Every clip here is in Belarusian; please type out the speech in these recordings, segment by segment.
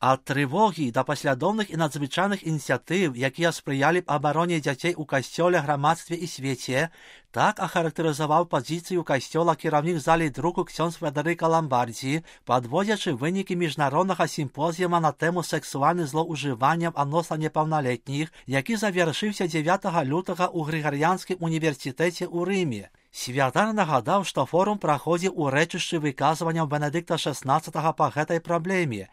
Ад трывогі да паслядоўных і надзвычайных ініцыятыў, якія спрыялі б абароне дзяцей у касцёле, грамадстве і свеце, так ахарактарызаваў пазіцыю касцёла кіраўнік залей друку ксёндз Федэрыка Ламбардзі, падводзячы вынікі міжнароднага сімпозіума на тэму сексуальных злоўжыванняў адносна непаўналетніх, які завяршыўся 9 лютага ў Грыгарыянскім універсітэце ў Рыме. Святар нагадаў, што форум праходзіў у рэчышчы выказванняў Бенедыкта XVI па гэтай праблеме.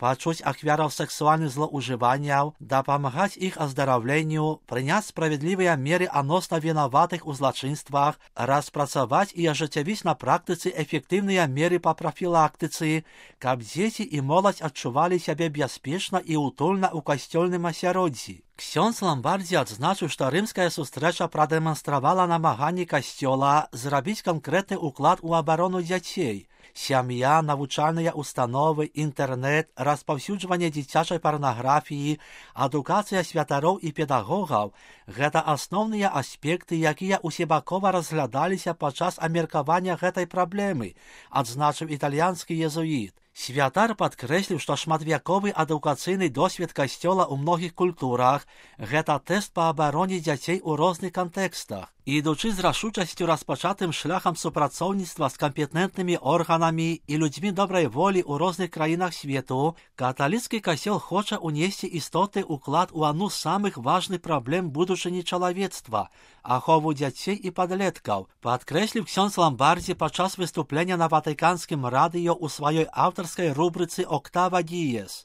Пачуць ахвяраў сексуальных злоўжыванняў, дапамагаць іх аздараўленню, прыняць справядлівыя меры адносна вінаватых у злачынствах, распрацаваць і ажыццявіць на практыцы эфектыўныя меры па прафілактыцы, каб дзеці і моладзь адчувалі сябе бяспечна і утульна ў касцёльным асяроддзі. Ксёндз Ламбардзі адзначыў, што рымская сустрэча прадэманстравала намаганні касцёла зрабіць канкрэтны ўклад у абарону дзяцей. Сям'я, навучальныя установы, інтэрнэт, распаўсюджванне дзіцячай парнаграфіі, адукацыя святароў і педагогаў – гэта асноўныя аспекты, якія усебакова разглядаліся падчас абмеркавання гэтай праблемы, адзначыў італьянскі езуіт. Святар падкрэсліў, што шматвяковы адукацыйны досвед касцёла ў многіх культурах – гэта тэст па абароне дзяцей у розных кантэкстах. Ідучы з рашучасцю распачатым шляхам супрацоўніцтва з кампетэнтнымі органамі і людзьмі добрай волі ў розных краінах свету, каталіцкі касцёл хоча ўнесці істотны ўклад у адну з самых важных праблем будучыні чалавецтва – ахову дзяцей і падлеткаў, падкрэсліў ксёндз Ламбардзі падчас выступлення на ватыканскім радыё ў сваёй аўтарскай рубрыцы «Октава Діес».